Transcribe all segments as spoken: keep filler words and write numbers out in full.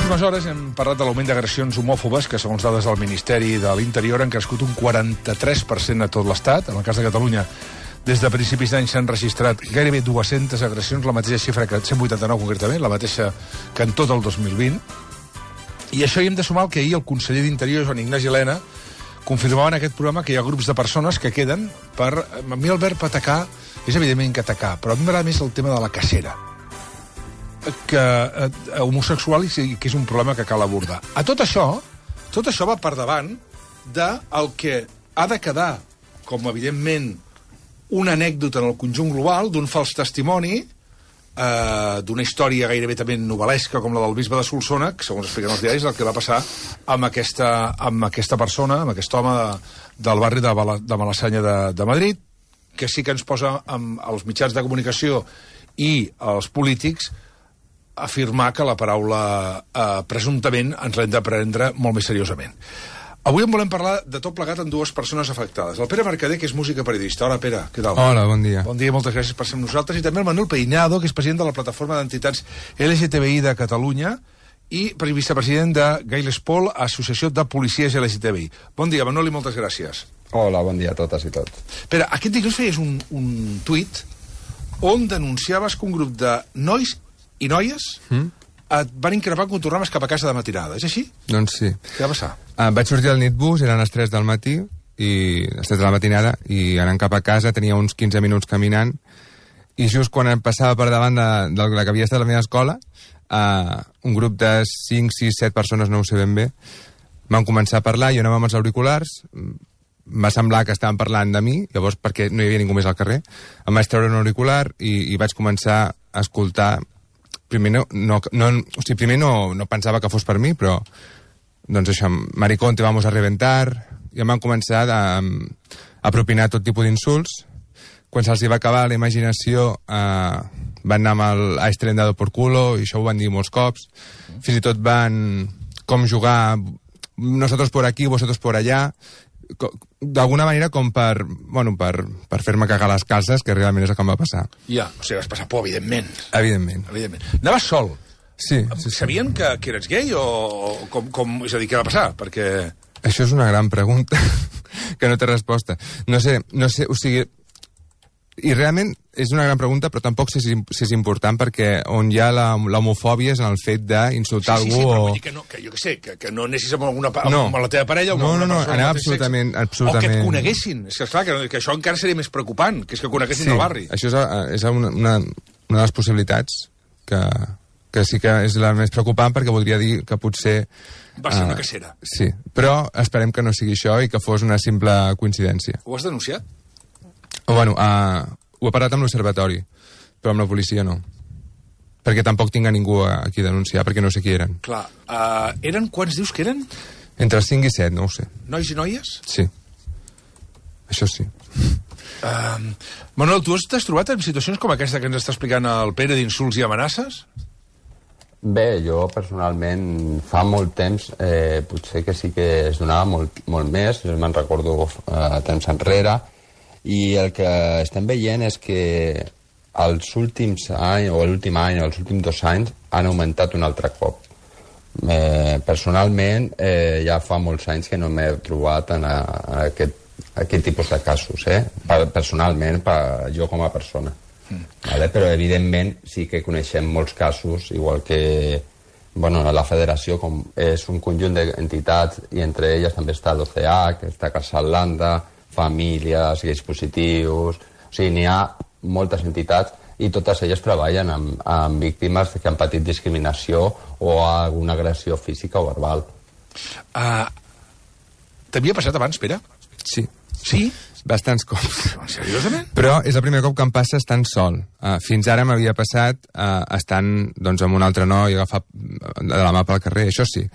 últimes hores hem parlat de l'augment d'agressions homòfobes que, segons dades del Ministeri de l'Interior, han crescut un quaranta-tres per cent a tot l'Estat. En el cas de Catalunya, des de principis d'any s'han registrat gairebé dues-centes agressions, la mateixa xifra que cent vuitanta-nou concretament, la mateixa que en tot el dos mil vint. I això hi hem de sumar el que ahir el conseller d'Interior, Joan Ignasi Elena, confirmava en aquest programa que hi ha grups de persones que queden per... A mi el verb atacar és evidentment que atacar, però a mi m'agrada més el tema de la cacera, que eh, homosexual i que és un problema que cal abordar. A tot això, tot això va per davant del que ha de quedar, com evidentment, una anècdota en el conjunt global, d'un fals testimoni, eh, d'una història gairebé també novel·lesca com la del bisbe de Solsona, que, segons expliquen els diaris, el que va passar amb aquesta, amb aquesta persona, amb aquest home de, del barri de, Bala, de Malassanya de, de Madrid, que sí que ens posa amb els mitjans de comunicació i els polítics afirmar que la paraula eh, presumptament ens l'hem de prendre molt més seriosament. Avui en volem parlar de tot plegat amb dues persones afectades. El Pere Mercader, que és músic i periodista. Hola, Pere, què tal? Hola, bon dia. Bon dia, moltes gràcies per ser amb nosaltres. I també el Manuel Peinado, que és president de la plataforma d'entitats L G T B I de Catalunya i vicepresident de Gailespol, Associació de Policies L G T B I. Bon dia, Manuel, i moltes gràcies. Hola, bon dia a totes i tots. Pere, aquest dilluns feies un, un tuit on denunciaves que un grup de nois i noies mm? et van increpar quan tornaves cap a casa de matinada. És així? Doncs sí. Què va passar? Uh, vaig sortir al nitbus, eren les tres del matí, i les tres de la matinada, i anant cap a casa tenia uns quinze minuts caminant, i just quan em passava per davant de, de la que havia estat la meva escola, uh, un grup de cinc, sis, set persones, no ho sé ben bé, van començar a parlar, jo anava amb els auriculars, em va semblar que estaven parlant de mi, llavors perquè no hi havia ningú més al carrer, em vaig treure un auricular i, i vaig començar a escoltar. Primer, no, no, no, o sigui, primer no, no pensava que fos per mi, però doncs això, maricón, te vamos a reventar, i em van començar a, a propinar tot tipus d'insults. Quan se'ls va acabar la imaginació, eh, van anar amb el "ha estrendado por culo", i això ho van dir molts cops. Fins i tot van com jugar "nosotros por aquí, vosotros por allá", d'alguna manera com per, bueno, per, per fer-me cagar les calces, que realment és el que em va passar. Ja, o sigui, vas passar por, evidentment. Evidentment. Evidentment. Anaves sol? Sí. sí, sí. Sabien que, que eres gay o, o com, com... És a dir, què va passar? Perquè... Això és una gran pregunta que no té resposta. No sé, no sé, o sigui... I realment és una gran pregunta, però tampoc sé si, si és important, perquè on hi ha l'homofòbia és en el fet d'insultar sí, sí, algú sí, o... però vull dir que, no, que jo què sé, que, que no anessis amb, alguna, amb, no. amb la teva parella o amb no, una no, no, persona anava del mateix absolutament, sexe. absolutament... O que et coneguessin. És que, esclar, que, que això encara seria més preocupant, que és que coneguessin sí, el barri. Això és, és una, una, una de les possibilitats que, que sí que és la més preocupant, perquè voldria dir que potser... Va ser uh, una cacera. Sí, però esperem que no sigui això i que fos una simple coincidència. Ho has denunciat? O, bueno, uh, ho he parlat amb l'observatori, però amb la policia no. Perquè tampoc tinc a ningú a qui denunciar, perquè no sé qui eren. Clar. Uh, eren, quants dius que eren? Entre els cinc i set, no ho sé. Nois i noies? Sí. Això sí. Uh, Manuel, tu t'has trobat en situacions com aquesta que ens està explicant el Pere, d'insults i amenaces? Bé, jo personalment fa molt temps, eh, potser que sí que es donava molt, molt més, jo me'n recordo eh, temps enrere, i el que estem veient és que els últims anys, o l'últim any, o els últims dos anys, han augmentat un altre cop. Eh, personalment, eh, ja fa molts anys que no m'he trobat en, a, en aquest, aquest tipus de casos, eh? Personalment, per, jo com a persona. Mm. Vale? Però, evidentment, sí que coneixem molts casos, igual que bueno, la federació com és un conjunt d'entitats, i entre elles també està l'O C A, que està Casa Atlanta, famílies, gais positius... O sigui, n'hi ha moltes entitats i totes elles treballen amb, amb víctimes que han patit discriminació o alguna agressió física o verbal. Uh, T'havia passat abans, Pere? Sí. Sí? Bastants cops. Seriosament? Però és el primer cop que em passa estant sol. Uh, fins ara m'havia passat uh, estant doncs, amb un altre noi, agafat de la mà pel carrer, això sí,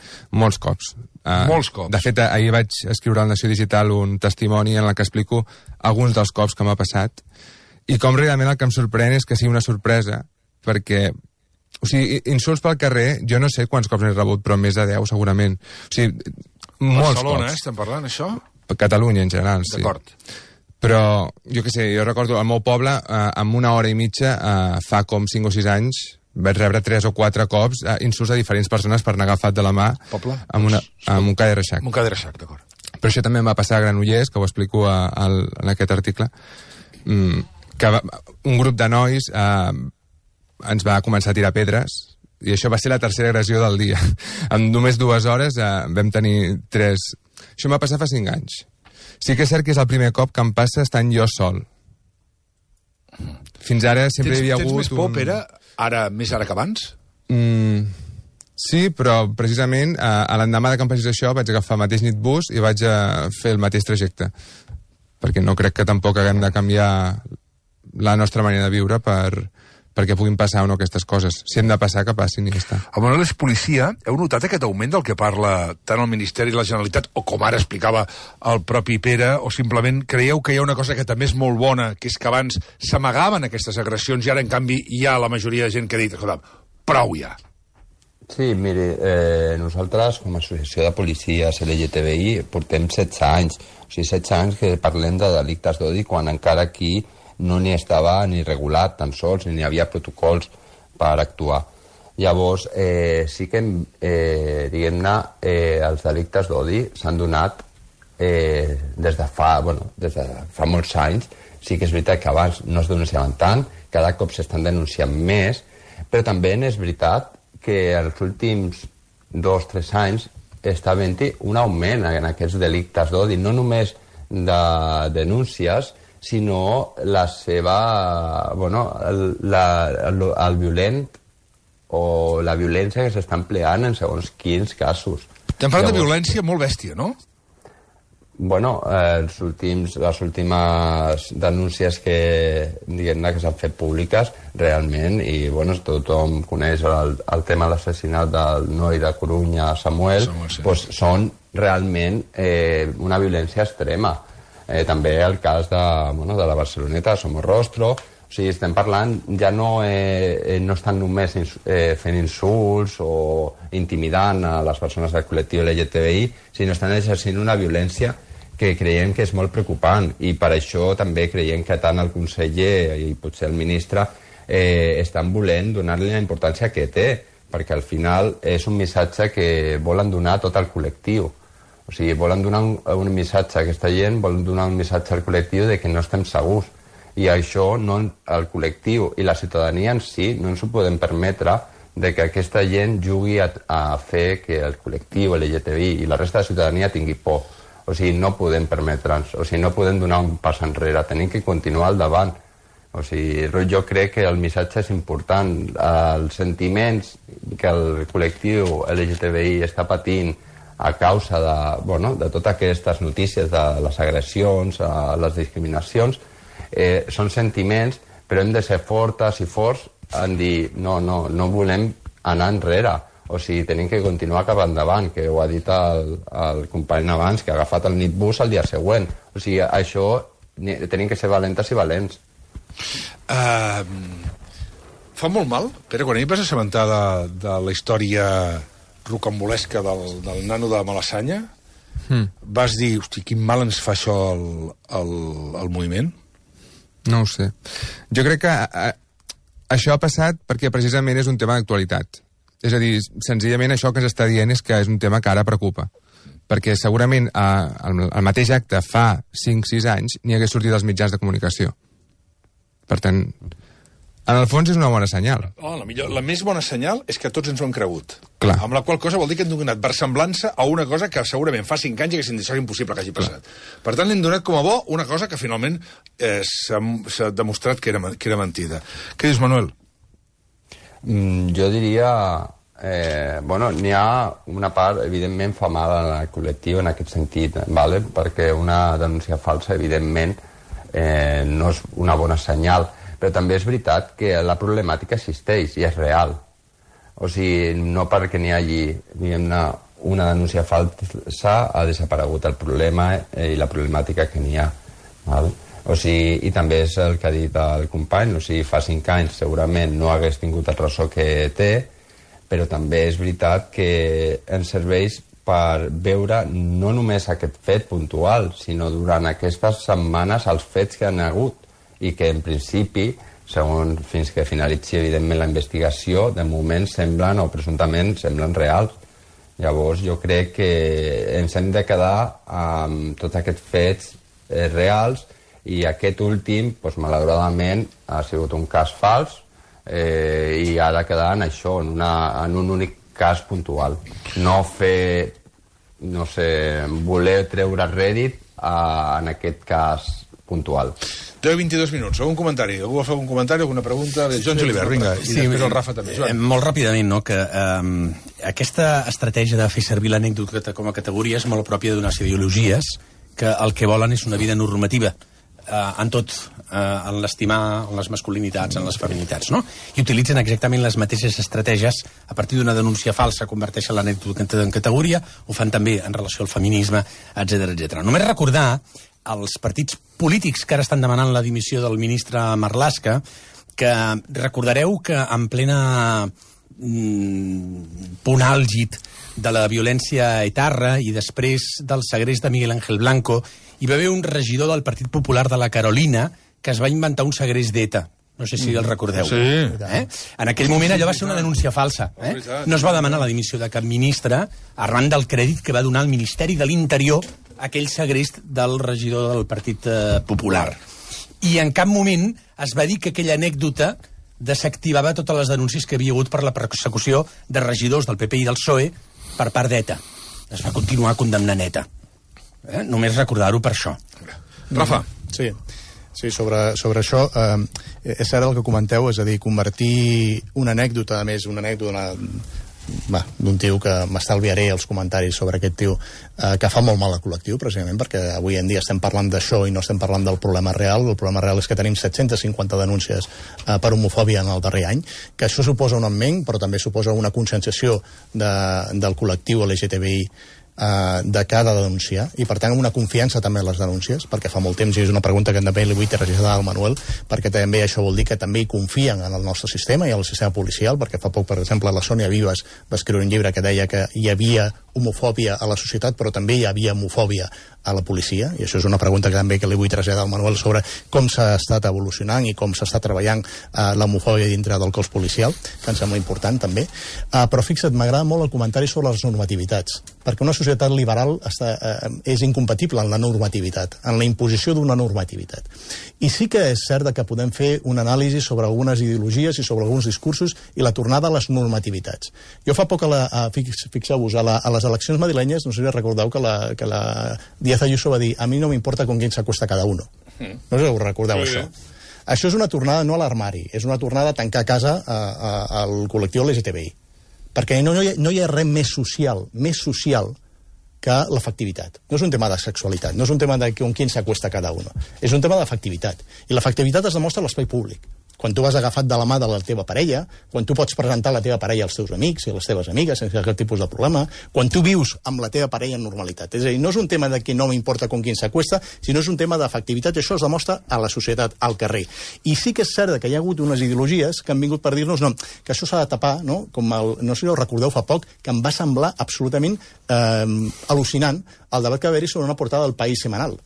molts cops. Uh, molts cops. De fet, ahir vaig escriure al Nació Digital un testimoni en el que explico alguns dels cops que m'ha passat, i com realment el que em sorprèn és que sigui una sorpresa, perquè, o sigui, insults pel carrer, jo no sé quants cops n'he rebut, però més de deu segurament. O sigui, molts Barcelona, cops. eh, estem parlant, això? Catalunya, en general, sí. D'acord. Però, jo què sé, jo recordo, al meu poble, eh, amb una hora i mitja, eh, fa com cinc o sis anys, vaig rebre tres o quatre cops uh, insults a diferents persones per anar agafat de la mà Poble? amb, una, amb un ca de reixac. Amb un ca de reixac, d'acord. Però això també em va passar a Granollers, que ho explico a, a, en aquest article, mm, que va, un grup de nois eh, ens va començar a tirar pedres, i això va ser la tercera agressió del dia. En només dues hores eh, vam tenir tres... Això em va passar fa cinc anys. Sí que és cert que és el primer cop que em passa estant jo sol. Fins ara sempre tens, hi havia tens hagut... més por, un... Pere, ara, més ara que abans? Mm, sí, però precisament eh, a l'endemà de que em passés això vaig agafar el mateix nitbus i vaig a fer el mateix trajecte. Perquè no crec que tampoc haguem de canviar la nostra manera de viure per... perquè puguin passar o no aquestes coses. Si hem de passar, que passin i ja està. El Manuel és policia. Heu notat aquest augment del que parla tant el Ministeri de la Generalitat, o com ara explicava el propi Pere, o simplement creieu que hi ha una cosa que també és molt bona, que és que abans s'amagaven aquestes agressions i ara, en canvi, hi ha la majoria de gent que ha dit, escolta, prou ja. Sí, miri, eh, nosaltres, com a associació de policies L G T B I, portem setze anys. O sigui, setze anys que parlem de delictes d'odi, quan encara aquí no n'hi estava ni regulat tan sols, ni hi havia protocols per actuar. Llavors, eh, sí que, eh, diguem-ne, eh, els delictes d'odi s'han donat eh, des de fa, bueno, des de fa molts anys. Sí que és veritat que abans no es denunciaven tant, cada cop s'estan denunciant més, però també és veritat que els últims dos o tres anys està havent-hi un augment en aquests delictes d'odi, no només de denúncies, sinó la seva, bueno, el, la, el, el violent o la violència que s'està empleant en segons quins casos. Estem parlant de violència molt bèstia, no? Bueno, eh, els últims, les últimes denúncies que, diguem-ne, que s'han fet públiques realment, i bueno, tothom coneix el, el tema de l'assassinat del noi de Corunya, Samuel, Samuel sí. Pues són realment eh, una violència extrema. Eh, també el cas de, bueno, de la Barceloneta, Somorrostro. O sigui, estem parlant, ja no, eh, no estan només ins, eh, fent insults o intimidant a les persones del col·lectiu L G T B I, sinó estan exercint una violència que creiem que és molt preocupant, i per això també creiem que tant el conseller i potser el ministre eh, estan volent donar-li la importància que té, perquè al final és un missatge que volen donar a tot el col·lectiu. O sigui, volen donar un, un missatge a aquesta gent, volen donar un missatge al col·lectiu de que no estem segurs. I això, no, el col·lectiu i la ciutadania en si, no ens ho podem permetre de que aquesta gent jugui a, a fer que el col·lectiu, L G T B I i la resta de la ciutadania tingui por. O sigui, no podem permetre'ns, o sigui, no podem donar un pas enrere, tenim que continuar al davant. O sigui, jo crec que el missatge és important. Els sentiments que el col·lectiu L G T B I està patint a causa de, bueno, de totes aquestes notícies, de les agressions, les discriminacions, eh, són sentiments, però hem de ser fortes i forts en dir no, no, no volem anar enrere. O sigui, tenim que continuar cap endavant, que ho ha dit el, el company abans, que ha agafat el nitbus el dia següent. O sigui, això tenim que ser valentes i valents. Uh, fa molt mal, Pere, quan ahir vas assabentar de, de la història rocambolesca del, del nano de Malassanya, hmm. vas dir, hosti, quin mal ens fa això al, al, al moviment? No ho sé. Jo crec que a, això ha passat perquè precisament és un tema d'actualitat. És a dir, senzillament això que s'està dient és que és un tema que ara preocupa. Perquè segurament a, el, el mateix acte fa cinc o sis anys n'hi hagués sortit als mitjans de comunicació. Per tant, en el fons és una bona senyal. Oh, la, millor, la més bona senyal és que tots ens ho hem cregut. Clar. Amb la qual cosa vol dir que hem donat versemblança a una cosa que segurament fa cinc anys haguessin dit que és impossible que hagi passat. Clar. Per tant, hem donat com a bo una cosa que finalment eh, s'ha demostrat que era, que era mentida. Què dius, Manuel? Mm, jo diria... Eh, bueno, n'hi ha una part, evidentment, famada en el col·lectiu en aquest sentit, ¿vale? Perquè una denúncia falsa, evidentment, eh, no és una bona senyal. Però també és veritat que la problemàtica existeix i és real. O sigui, no perquè n'hi hagi, diguem-ne, una denúncia falsa ha desaparegut el problema i la problemàtica que n'hi ha. Val? O sigui, i també és el que ha dit el company, o sigui, fa cinc anys segurament no hagués tingut el ressò que té, però també és veritat que ens serveix per veure no només aquest fet puntual, sinó durant aquestes setmanes els fets que han hagut, i que en principi segons fins que finalitzi, evidentment, la investigació, de moment semblen, o presumptament, semblen reals. Llavors, jo crec que ens hem de quedar amb tots aquests fets eh, reals, i aquest últim, doncs, malauradament, ha sigut un cas fals, eh, i ha de quedar en això, en, una, en un únic cas puntual. No fer, no sé, voler treure rèdit a, en aquest cas puntual. deu i vint-i-dos minuts. Algun comentari? Algú va fer algun comentari, alguna pregunta? Joan Julivert, vinga. I sí, després el Rafa també. Eh, molt ràpidament, no?, que eh, aquesta estratègia de fer servir l'anècdota com a categoria és molt pròpia d'unes ideologies que el que volen és una vida normativa. Uh, en tot, uh, en l'estimar, en les masculinitats, en les feminitats, no? I utilitzen exactament les mateixes estratègies. A partir d'una denúncia falsa converteixen l'anècdota en categoria, ho fan també en relació al feminisme, etcètera, etcètera. Només recordar als partits polítics que ara estan demanant la dimissió del ministre Marlaska, que recordareu que en plena mm, punt àlgid de la violència etarra i després del segrest de Miguel Ángel Blanco, hi va haver un regidor del Partit Popular de la Carolina que es va inventar un segrest d'ETA. No sé si el recordeu. Sí. Eh? En aquell moment allò va ser una denúncia falsa. Eh? No es va demanar la dimissió de cap ministre arran del crèdit que va donar el Ministeri de l'Interior a aquell segrest del regidor del Partit eh, Popular. I en cap moment es va dir que aquella anècdota desactivava totes les denúncies que havia hagut per la persecució de regidors del P P i del P S O E per part d'ETA. Es va continuar condemnant ETA. Eh? Només recordar-ho per això. Rafa. Sí, sí sobre, sobre això eh, és cert el que comenteu, és a dir, convertir una anècdota, a més, una anècdota d'un tio que m'estalviaré els comentaris sobre aquest tio, eh, que fa molt mal al col·lectiu, precisament perquè avui en dia estem parlant d'això i no estem parlant del problema real. El problema real és que tenim set-centes cinquanta denúncies eh, per homofòbia en el darrer any, que això suposa un augment, però també suposa una conscienciació de, del col·lectiu L G T B I de cada denunciar, i per tant una confiança també en les denúncies, perquè fa molt temps, i és una pregunta que també li vull traslladar al Manuel, perquè també això vol dir que també hi confien en el nostre sistema i en el sistema policial, perquè fa poc, per exemple, la Sònia Vives va escriure un llibre que deia que hi havia homofòbia a la societat, però també hi havia homofòbia a la policia, i això és una pregunta que també que li vull traslladar al Manuel sobre com s'ha estat evolucionant i com s'està treballant eh, l'homofòbia dintre del cos policial, que em sembla important també. Eh, però fixa't, m'agrada molt el comentari sobre les normativitats, perquè una societat liberal està, eh, és incompatible en la normativitat, en la imposició d'una normativitat. I sí que és cert que podem fer una anàlisi sobre algunes ideologies i sobre alguns discursos i la tornada a les normativitats. Jo fa poc, a la, a, fixeu-vos, a, la, a les eleccions madrilenyes, no sé si recordeu que la, que la Díaz Ayuso va dir, a mi no m'importa con quién se acuesta cada uno. No sé si us recordeu sí, això. Això és una tornada no a l'armari, és una tornada a tancar a casa a, a, al col·lectiu L G T B I. Perquè no hi, ha, no hi ha res més social, més social que l'efectivitat. No és un tema de sexualitat, no és un tema de con quién se acuesta cada uno. És un tema d'efectivitat. I l'efectivitat es demostra a l'espai públic. Quan tu vas agafat de la mà de la teva parella, quan tu pots presentar la teva parella als teus amics i a les teves amigues sense cap tipus de problema, quan tu vius amb la teva parella en normalitat. És a dir, no és un tema de que no m'importa con quién s'acuesta, sinó és un tema d'efectivitat, i això es demostra a la societat, al carrer. I sí que és cert que hi ha hagut unes ideologies que han vingut per dir-nos no, que això s'ha de tapar, no? Com el, no sé si ho recordeu fa poc, que em va semblar absolutament eh, al·lucinant el debat que va haver-hi sobre una portada del País setmanal.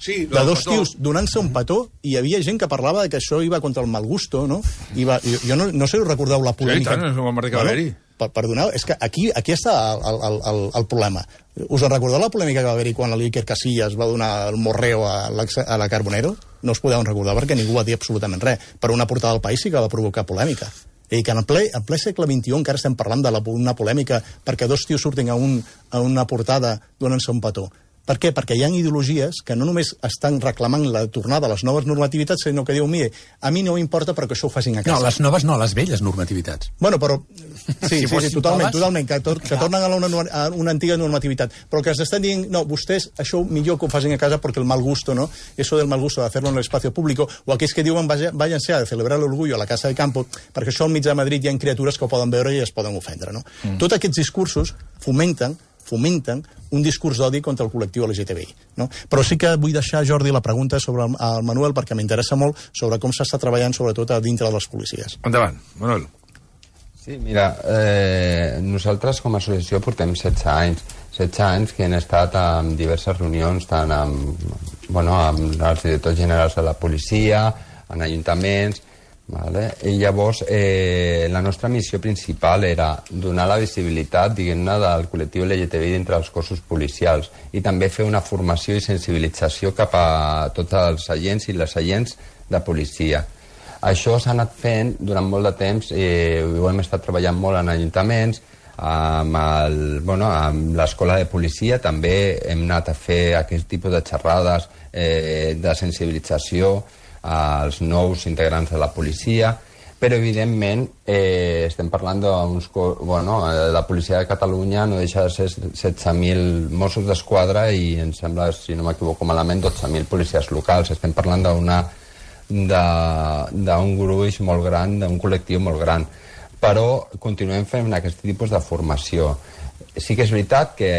Sí, de dos tios donant-se un petó, i hi havia gent que parlava de que això iba contra el mal gusto, no? I va, jo, jo no, no sé si recordeu la polèmica. Sí, tant, és un que va haver-hi. Per, perdoneu, és que aquí, aquí està el, el, el, el problema. Us en recordeu la polèmica que va haver-hi quan l'Iker Casillas va donar el morreo a la, a la Carbonero? No us podeu recordar perquè ningú va dir absolutament res. Per una portada del País sí que va provocar polèmica. I que en ple, en ple segle vint-i-u encara estem parlant d'una polèmica perquè dos tios surtin a, un, a una portada donant-se un petó. Per què? Perquè hi ha ideologies que no només estan reclamant la tornada a les noves normativitats, sinó que diuen, mire, a mi no m'importa però que això ho facin a casa. No, les noves no, les velles normativitats. Bueno, però... Sí, sí, sí, totalment, totalment, que, tor que tornen a una, a una antiga normativitat. Però que es estan dient, no, vostès això millor que ho facin a casa perquè el mal gusto, ¿no? Eso del mal gusto de hacerlo en el espacio público, o aquells que diuen, váyanse a celebrar l'orgullo a la Casa de Campo, perquè això al mig de Madrid hi ha criatures que ho poden veure i es poden ofendre, no? Mm. Tots aquests discursos fomenten fomenten un discurs d'odi contra el col·lectiu L G T B I. No? Però sí que vull deixar, Jordi, la pregunta sobre el, el Manuel, perquè m'interessa molt sobre com s'està treballant, sobretot a dintre de les policies. Endavant, Manuel. Sí, mira, eh, nosaltres com a associació portem setze anys. setze anys que hem estat en diverses reunions, tant amb, bueno, amb els directors generals de la policia, en ajuntaments, Vale? I llavors eh, la nostra missió principal era donar la visibilitat, diguem-ne, del col·lectiu L G T B I dintre dels cossos policials i també fer una formació i sensibilització cap a tots els agents i les agents de policia. Això s'ha anat fent durant molt de temps, eh, ho hem estat treballant molt en ajuntaments, amb el, bueno, amb l'escola de policia també hem anat a fer aquest tipus de xerrades eh, de sensibilització als nous integrants de la policia, però evidentment eh, estem parlant d'uns... Bueno, la policia de Catalunya no deixa de ser setze mil Mossos d'Esquadra i em sembla, si no m'equivoco malament, dotze mil policies locals. Estem parlant d'una d'un gruix molt gran, d'un col·lectiu molt gran. Però continuem fent aquest tipus de formació. Sí que és veritat que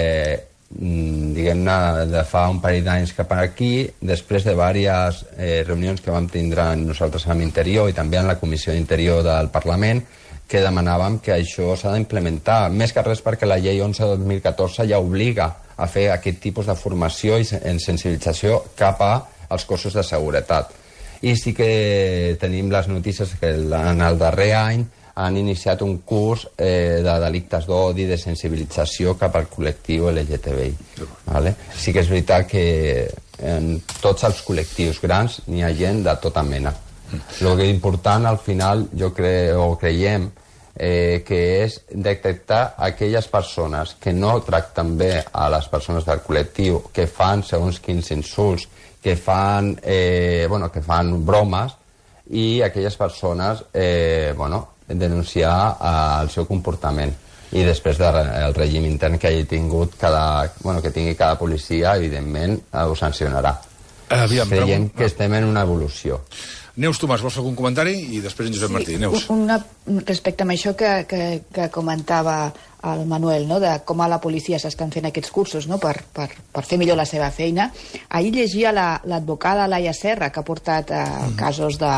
diguem-ne, de fa un parell d'anys cap aquí, després de diverses eh, reunions que vam tindre nosaltres amb Interior i també en la Comissió d'Interior del Parlament, que demanàvem que això s'ha d'implementar, més que res perquè la llei onze dos mil catorze ja obliga a fer aquest tipus de formació i en sensibilització cap als cossos de seguretat. I sí que tenim les notícies que en el darrer any han iniciat un curs eh, de delictes d'odi, de sensibilització cap al col·lectiu L G T B I. Vale? Sí que és veritat que en tots els col·lectius grans n'hi ha gent de tota mena. El que és important, al final, jo creo, o creiem, eh, que és detectar aquelles persones que no tracten bé a les persones del col·lectiu, que fan segons quins insults, que fan, eh, bueno, que fan bromes, i aquelles persones, eh, bueno, denunciar eh, el seu comportament i després del règim intern que hagi tingut cada, bueno, que tingui cada policia, evidentment ho sancionarà. Aviam, creiem pregun... que estem en una evolució. Neus Tomàs, vols fer algun comentari? I després en Josep sí, Martí. Neus. Una, respecte a això que, que, que comentava el Manuel, no? De com a la policia s'estan fent aquests cursos, no? per, per, per fer millor la seva feina. Ahir llegia l'advocada la, Laia Serra, que ha portat eh, mm. casos de,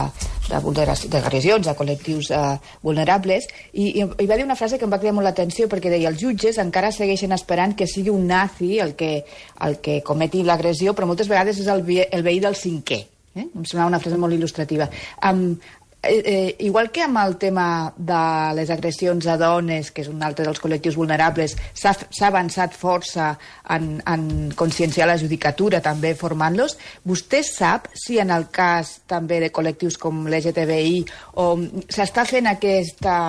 de d'agressions a col·lectius eh, vulnerables, i, i, i va dir una frase que em va cridar molt l'atenció, perquè deia els jutges encara segueixen esperant que sigui un nazi el que, el que cometi l'agressió, però moltes vegades és el, el veí del cinquè. Eh? Em semblava una frase molt il·lustrativa. Um, eh, eh, igual que amb el tema de les agressions a dones, que és un altre dels col·lectius vulnerables, s'ha avançat força en, en conscienciar la judicatura, també formant-los. Vostè sap si en el cas també de col·lectius com l'L G T B I s'està fent aquesta...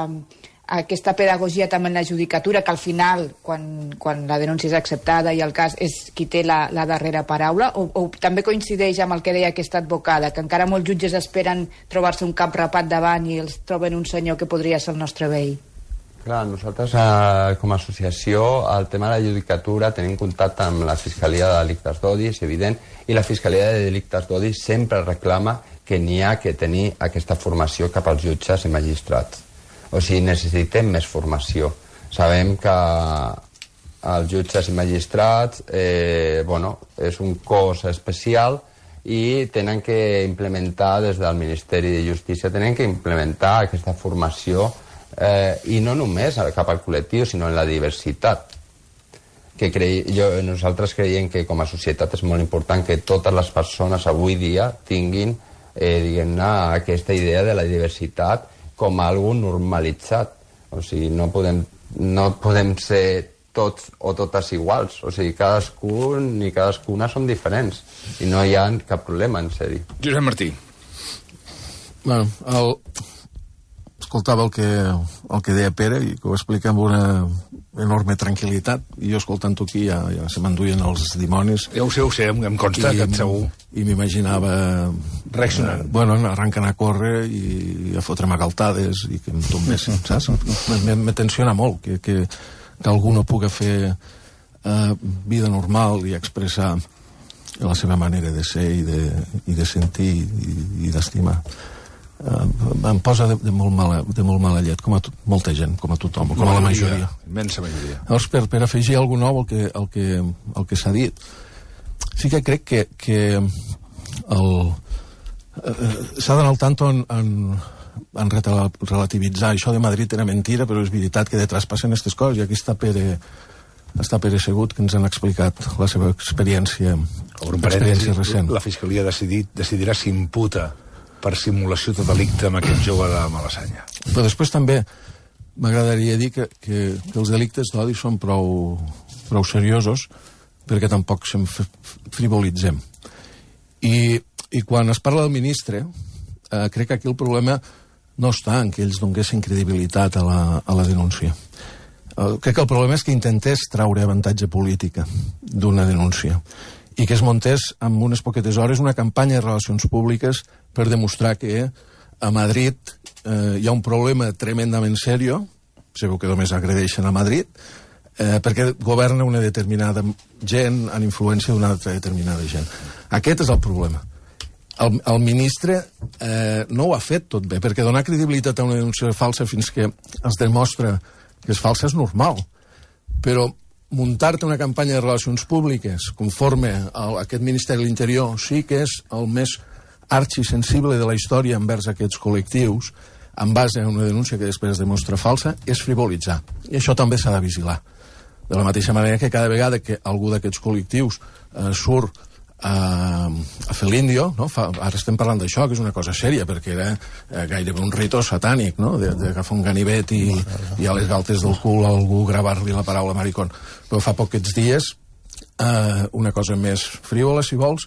aquesta pedagogia també en la judicatura, que al final, quan, quan la denúncia és acceptada i el cas és qui té la, la darrera paraula, o, o també coincideix amb el que deia aquesta advocada, que encara molts jutges esperen trobar-se un cap rapat davant i els troben un senyor que podria ser el nostre veí? Clar, nosaltres eh, com a associació, el tema de la judicatura, tenim contacte amb la Fiscalia de Delictes d'Odi, és evident, i la Fiscalia de Delictes d'Odi sempre reclama que n'hi ha que tenir aquesta formació cap als jutges i magistrats. O sigui, necessitem més formació. Sabem que els jutges i magistrats eh, bueno, és un cos especial i tenen que implementar des del Ministeri de Justícia, tenen que implementar aquesta formació eh, i no només cap al col·lectiu, sinó en la diversitat. Que crei, jo, nosaltres creiem que com a societat és molt important que totes les persones avui dia tinguin eh, diguem-ne, aquesta idea de la diversitat com a algo normalitzat. O sigui, no podem, no podem ser tots o totes iguals. O sigui, cadascun i cadascuna són diferents. I no hi ha cap problema, en sèrio. Josep Martí. Bueno, el... escoltava el que, el que deia Pere i que ho explica amb una enorme tranquil·litat, i jo escoltant-ho aquí ja, ja se m'enduien els dimonis. Ja ho sé, ho sé, em, em consta que et segur. I m'imaginava reaccionant. Eh, bueno, arrenquen a córrer i a fotre'm a galtades i que em tombessin, saps? Me tensiona molt que, que, que algú no pugui fer eh, vida normal i expressar la seva manera de ser i de, i de sentir i, i d'estimar. Uh, em posa de, de, molt mala, de molt mala llet, com a to, molta gent, com a tothom, com a la majoria. Immensa majoria. Llavors, per, per afegir alguna nou al que, el que, el que s'ha dit, sí que crec que, que el, eh, s'ha d'anar al tanto en, en, en relativitzar. Això de Madrid era mentira, però és veritat que detrás passen aquestes coses, i aquí està Pere, està Pere Segut, que ens han explicat la seva experiència, experiència recent. La Fiscalia decidit, decidirà si imputa per simulació de delicte amb aquest jove de Malassanya. Però després també m'agradaria dir que, que, que els delictes d'odi són prou, prou seriosos perquè tampoc se'n frivolitzem. I, I quan es parla del ministre, eh, crec que aquí el problema no està en que ells donguessin credibilitat a la, a la denúncia. Eh, crec que el problema és que intentés traure avantatge política d'una denúncia i que es muntés en unes poquetes hores una campanya de relacions públiques per demostrar que a Madrid eh, hi ha un problema tremendament seriós, sabeu que només agredeixen a Madrid, eh, perquè governa una determinada gent en influència d'una altra determinada gent. Aquest és el problema. El, el ministre eh, no ho ha fet tot bé, perquè donar credibilitat a una denúncia falsa fins que es demostra que és falsa és normal, però muntar-te una campanya de relacions públiques conforme a aquest Ministeri de l'Interior sí que és el més arxisensible de la història envers aquests col·lectius, en base a una denúncia que després es demostra falsa, és frivolitzar. I això també s'ha de vigilar. De la mateixa manera que cada vegada que algú d'aquests col·lectius eh, surt a, a fer l'índio, no? Fa, ara estem parlant d'això, que és una cosa sèria, perquè era eh, gairebé un rito satànic, no? d'agafar un ganivet i, i a les galtes del cul a algú gravar-li la paraula maricón. Però fa pocs dies, eh, una cosa més frívola, si vols,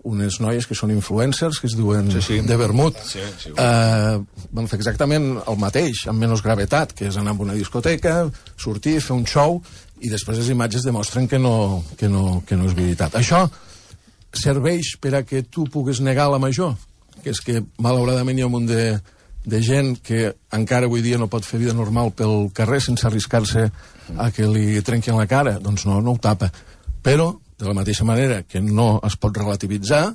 unes noies que són influencers, que es diuen sí, sí. de vermut, sí, sí, eh, van fer exactament el mateix, amb menys gravetat, que és anar a una discoteca, sortir, fer un show, i després les imatges demostren que no, que no, que no és veritat. Això serveix per a que tu puguis negar la major, que és que malauradament hi ha un munt de, de gent que encara avui dia no pot fer vida normal pel carrer sense arriscar-se a que li trenquin la cara, doncs no, no ho tapa. Però, de la mateixa manera que no es pot relativitzar,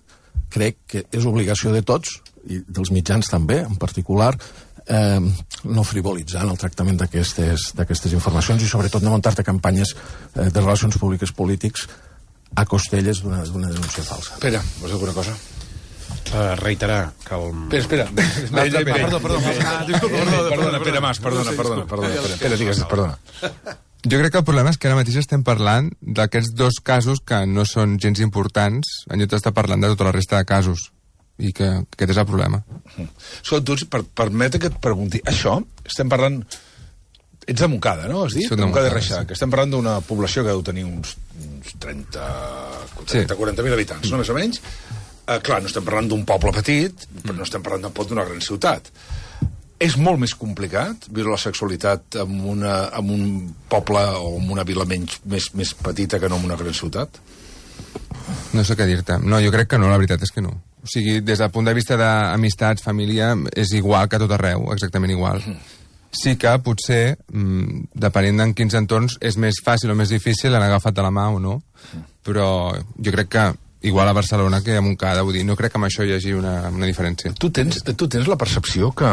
crec que és obligació de tots, i dels mitjans també, en particular, eh, no frivolitzar en el tractament d'aquestes informacions i sobretot no muntar-te campanyes eh, de relacions públiques polítics a costelles d'una denúncia falsa. Espera, vols dir alguna cosa? Uh, reiterar que el... Espera, espera. Perdó, perdó. Perdona, Pere Mas, perdona, perdona. Pere, digues, perdona. Jo crec que el problema és que ara mateix estem parlant d'aquests dos casos que no són gens importants, en lloc d'estar parlant de tota la resta de casos. I que, que aquest és el problema. Escolta, tu, per, permeta que et pregunti, això, estem parlant... Ets de Montcada, no? Has dit? Soc de Montcada, Reixac. sí. Que estem parlant d'una població que deu tenir uns, uns trenta, trenta quaranta mil habitants, no? Més o menys. Uh, clar, no estem parlant d'un poble petit, però no estem parlant tampoc d'una gran ciutat. És molt més complicat viure la sexualitat en, una, en un poble o en una vila menys, més, més petita que no en una gran ciutat? No sé què dir-te. No, jo crec que no, la veritat és que no. O sigui, des del punt de vista d'amistats, família, és igual que a tot arreu, exactament igual. Sí que potser, mmm, depenent en quins entorns, és més fàcil o més difícil anar agafat de la mà o no, però jo crec que igual a Barcelona que a Montcada, vull dir, no crec que amb això hi hagi una, una diferència. Tu tens, tu tens la percepció que...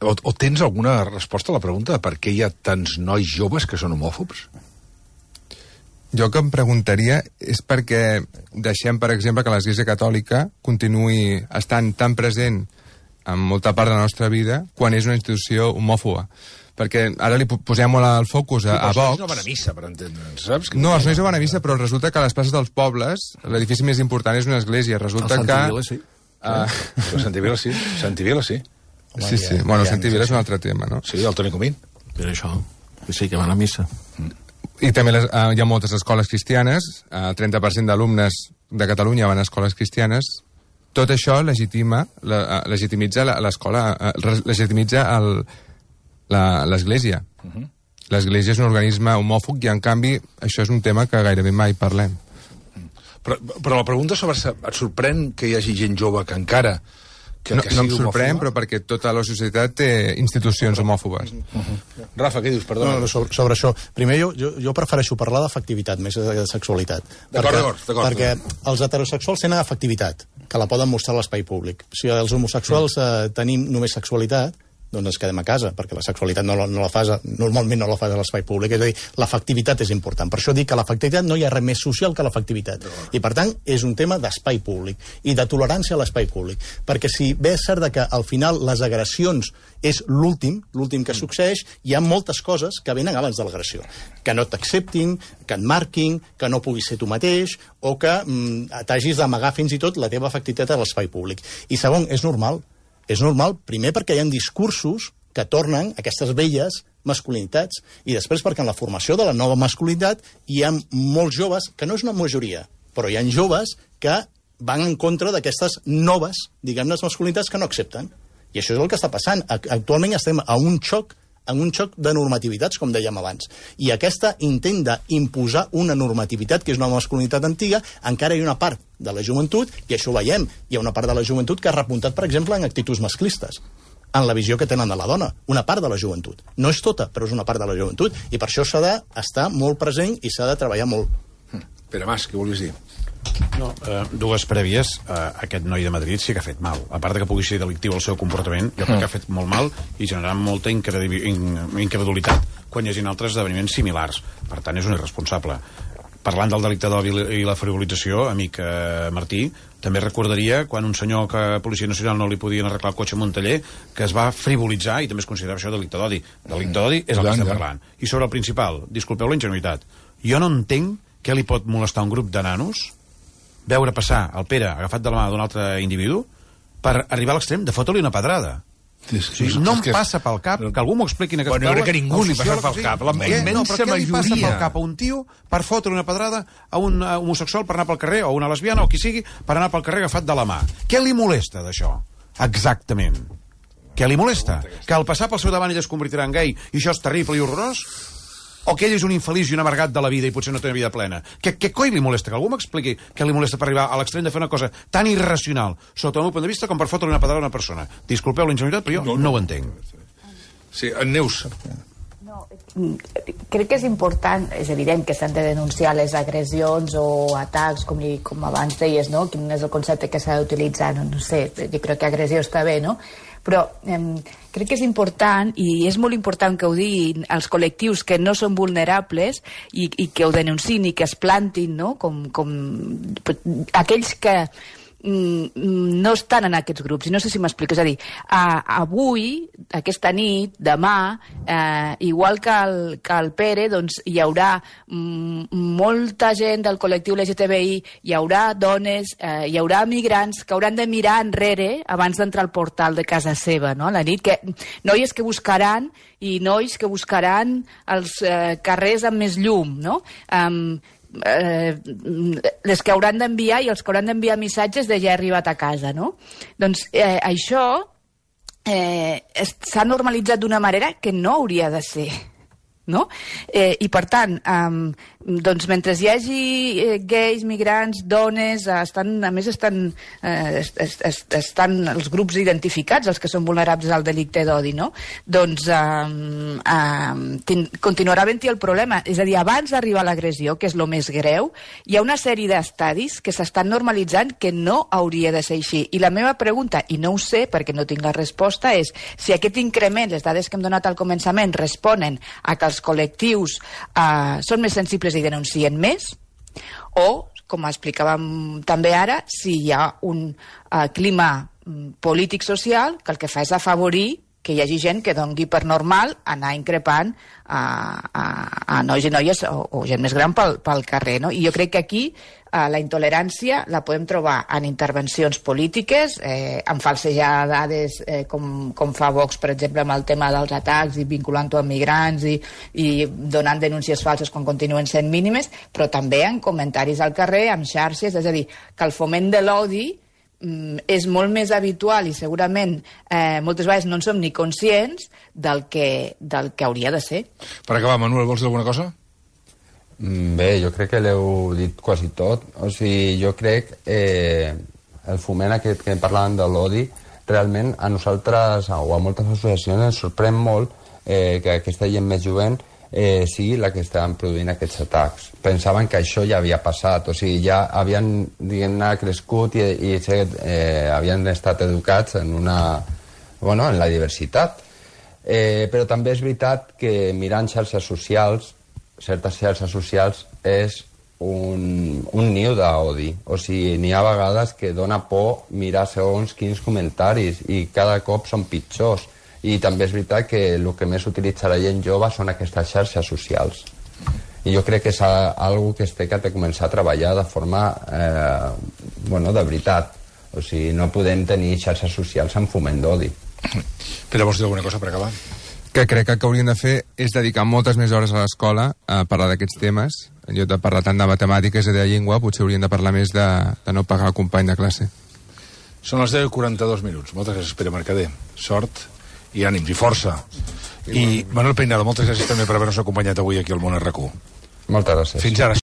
O, o tens alguna resposta a la pregunta de per què hi ha tants nois joves que són homòfobs? Jo que em preguntaria és perquè deixem, per exemple, que l'Església Catòlica continuï estant tan present en molta part de la nostra vida quan és una institució homòfoba. Perquè ara li posem molt el focus a, a Vox. Els nois no van a missa, per entendre'ns, saps? No, els nois no van a missa, però resulta que a les places dels pobles l'edifici més important és una església. Resulta el que... Vila, sí. Uh... Però Santivila sí, Santivila sí. Home, sí, sí. Ja, bueno, ja Santivila és un altre tema, no? Sí, el Toni Comín. Per això, que sí, que van a missa. I també les, uh, hi ha moltes escoles cristianes, el uh, trenta per cent d'alumnes de Catalunya van a escoles cristianes. Tot això legitima, la, uh, legitimitza l'escola, uh, legitimitza el, l'Església. Uh -huh. L'Església és un organisme homòfob i, en canvi, això és un tema que gairebé mai parlem. Però, però la pregunta sobre... Et sorprèn que hi hagi gent jove que encara... Que, no, que no em sigui sorprèn, homòfoba? però perquè tota la societat té institucions homòfobes. Uh -huh. Rafa, què dius? Perdona. No, no, sobre, sobre això. Primer, jo, jo, jo prefereixo parlar d'afectivitat més que de sexualitat. D'acord, d'acord, d'acord. Perquè els heterosexuals tenen afectivitat, que la poden mostrar a l'espai públic. Si els homosexuals eh, tenim només sexualitat, doncs ens quedem a casa, perquè la sexualitat no la, no la fas, normalment no la fas a l'espai públic. És a dir, l'afectivitat és important. Per això dic que l'afectivitat no hi ha res més social que l'afectivitat. I, per tant, és un tema d'espai públic i de tolerància a l'espai públic. Perquè si bé és cert que al final les agressions és l'últim, l'últim que succeeix, hi ha moltes coses que venen abans de l'agressió. Que no t'acceptin, que et marquin, que no puguis ser tu mateix, o que mm, t'hagis d'amagar fins i tot la teva afectivitat a l'espai públic. I segon, és normal. És normal, primer perquè hi ha discursos que tornen aquestes velles masculinitats, i després perquè en la formació de la nova masculinitat hi ha molts joves, que no és una majoria, però hi ha joves que van en contra d'aquestes noves, diguem-ne, masculinitats que no accepten. I això és el que està passant. Actualment estem a un xoc en un xoc de normativitats, com dèiem abans. I aquesta intent d'imposar una normativitat, que és una masculinitat antiga, encara hi ha una part de la joventut, i això ho veiem, hi ha una part de la joventut que ha repuntat, per exemple, en actituds masclistes, en la visió que tenen de la dona, una part de la joventut. No és tota, però és una part de la joventut, i per això s'ha d'estar molt present i s'ha de treballar molt. Pere Mas, què volies dir? No, eh, dues prèvies. Eh, aquest noi de Madrid sí que ha fet mal. A part de que pugui ser delictiu el seu comportament, jo crec que ha fet molt mal i generant molta incredulitat quan hi hagi altres esdeveniments similars. Per tant, és un irresponsable. Parlant del delicte d'odi i la frivolització, amic eh, Martí, també recordaria quan un senyor que a Policia Nacional no li podien arreglar el cotxe a Montaller, que es va frivolitzar i també es considerava això delicte d'odi. Delicte d'odi és el que estem parlant. I sobre el principal, disculpeu la ingenuïtat, jo no entenc què li pot molestar un grup de nanos veure passar el Pere agafat de la mà d'un altre individu per arribar a l'extrem de fotre-li una pedrada. Sí, sí, sí, no em passa pel cap que algú m'ho expliqui en aquesta taula. Bueno, jo crec que ningú li passa pel cap. La immensa majoria. Què li passa pel cap a un tio per fotre una pedrada a un homosexual per anar pel carrer, o una lesbiana, o qui sigui, per anar pel carrer agafat de la mà? Què li molesta d'això? Exactament. Què li molesta? Que al passar pel seu davant ell es convertirà en gai i això és terrible i horrorós? O que ell és un infeliç i un amargat de la vida i potser no té una vida plena? Què, què coi li molesta? Que algú m'expliqui què li molesta per arribar a l'extrem de fer una cosa tan irracional, sota el meu punt de vista, com per fotre una pedrada a una persona? Disculpeu la ingenuïtat, però jo no, no, no ho entenc. Sí, en Neus. No, crec que és important, és evident que s'han de denunciar les agressions o atacs, com, li, com abans deies, no? Quin és el concepte que s'ha d'utilitzar? No, no sé, jo crec que agressió està bé, no? Però eh, crec que és important, i és molt important que ho diguin els col·lectius que no són vulnerables i, i que ho denunciïn i que es plantin, no? Com, com aquells que no estan en aquests grups, i no sé si m'explico. És a dir, uh, avui, aquesta nit, demà, uh, igual que el, que el Pere, doncs hi haurà mm, molta gent del col·lectiu L G T B I, hi haurà dones, uh, hi haurà migrants que hauran de mirar enrere abans d'entrar al portal de casa seva, no?, a la nit, que noies que buscaran i nois que buscaran els uh, carrers amb més llum, no?, um, Eh, les que hauran d'enviar i els que hauran d'enviar missatges de ja he arribat a casa, no? Doncs eh, això eh, s'ha normalitzat d'una manera que no hauria de ser, no? Eh, I per tant, um, doncs mentre hi hagi eh, gais, migrants, dones, eh, estan, a més estan, eh, est, est, estan els grups identificats, els que són vulnerables al delicte d'odi, no? Doncs um, um, tin, continuarà havent-hi el problema. És a dir, abans d'arribar a l'agressió, que és el més greu, hi ha una sèrie d'estadis que s'estan normalitzant que no hauria de ser així. I la meva pregunta, i no ho sé perquè no tinc la resposta, és si aquest increment, les dades que hem donat al començament, responen a que els col·lectius eh, són més sensibles i denuncien més, o, com explicàvem també ara, si hi ha un eh, clima polític-social que el que fa és afavorir que hi hagi gent que doni per normal anar increpant a, a, a nois i noies o, o gent més gran pel, pel carrer, no? I jo crec que aquí eh, la intolerància la podem trobar en intervencions polítiques, eh, en falsejar dades eh, com, com fa Vox, per exemple, amb el tema dels atacs i vinculant-ho amb migrants i, i donant denúncies falses quan continuen sent mínimes, però també en comentaris al carrer, amb xarxes, és a dir, que el foment de l'odi és molt més habitual i segurament eh, moltes vegades no en som ni conscients del que, del que hauria de ser. Per acabar, Manuel, vols dir alguna cosa? Bé, jo crec que l'heu dit quasi tot. O sigui, jo crec eh, el foment aquest que parlàvem de l'odi, realment a nosaltres o a moltes associacions ens sorprèn molt eh, que aquesta gent més jovent eh, sigui la que estaven produint aquests atacs. Pensaven que això ja havia passat, o sigui, ja havien, diguem-ne, crescut i, i eh, havien estat educats en una, bueno, en la diversitat. Eh, però també és veritat que mirant xarxes socials, certes xarxes socials, és un, un niu d'odi. O sigui, n'hi ha vegades que dona por mirar segons quins comentaris i cada cop són pitjors. I també és veritat que el que més utilitza la gent jove són aquestes xarxes socials. I jo crec que és algo que es té que començar a treballar de forma, eh, bueno, de veritat. O sigui, no podem tenir xarxes socials amb foment d'odi. Pere, vols dir alguna cosa per acabar? Que crec que el que hauríem de fer és dedicar moltes més hores a l'escola a parlar d'aquests temes. En lloc de parlar tant de matemàtiques i de llengua, potser hauríem de parlar més de, de no pagar el company de classe. Són les deu i quaranta-dos minuts. Moltes gràcies, Pere Mercader. Sort i ànims i força. I Manuel Peinado, moltes gràcies també per haver-nos acompanyat avui aquí al Món R Q. Moltes gràcies. Fins ara.